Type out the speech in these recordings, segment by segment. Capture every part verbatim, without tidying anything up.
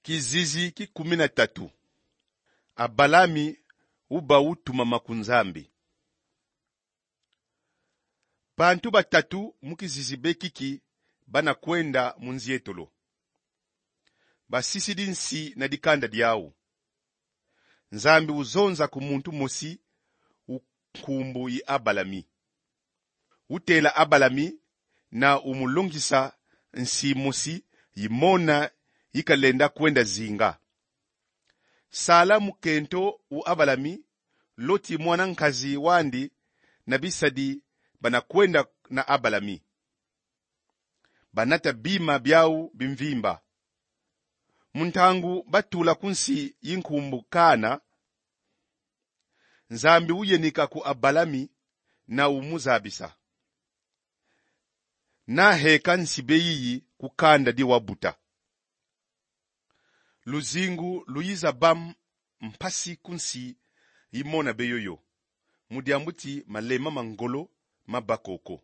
Kizizi ki kumi na tatu. Abalami uba utumama ku Nzambi. Bantu batatu mu kizizi be kiki bana kwenda mu nzietolo. Basisidi nsi na dikanda diau. Nzambi uzonza ku muntu mosi u nkumbu yi Abalami. Utela Abalami na umulongisa nsi mosi yi mona yikalenda kwenda zinga. Sala mukento u Abalami, Loti mwana nkazi wandi na bisadi bana kwenda na Abalami. Banata bima biau bimvimba. Mu ntangu batula ku nsi yi nkumbu Kana, Nzambi uyenika ku Abalami na umuzabisa: Naheka nsi be yiyi ku kanda di wabuta. Luzingu luyiza ba m-, mpasi ku nsi yi mona be yoyo, mu diambu ti malema ma ngolo maba koko.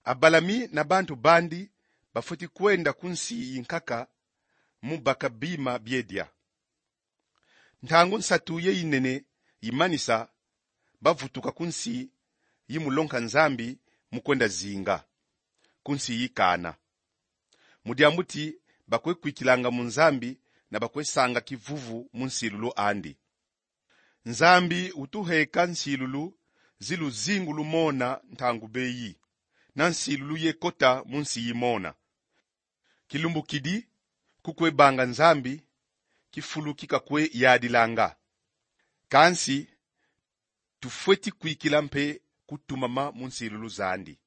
Abalami na bantu bandi bafweti kwenda ku nsi yi nkaka mu baka bima bie dia. Ntangu nsatu ye yinene yimanisa, bavutuka ku nsi yi mulonga Nzambi mu kwenda zinga, ku nsi yi Kana. Mu diambu ti bakwe kwikilanga mu Nzambi na bakwe sanga kivuvu mu nsilulu andi. Nzambi utuheka nsilulu zi luzingu lumona ntangu beyi, na nsilulu ye kota mu nsi yi mona. Kilumbu kidi, kukwe banga Nzambi, kifulu ki kakwe yadilanga. Kansi, tufweti kwikila mpe kutumama mu nsilulu zandi.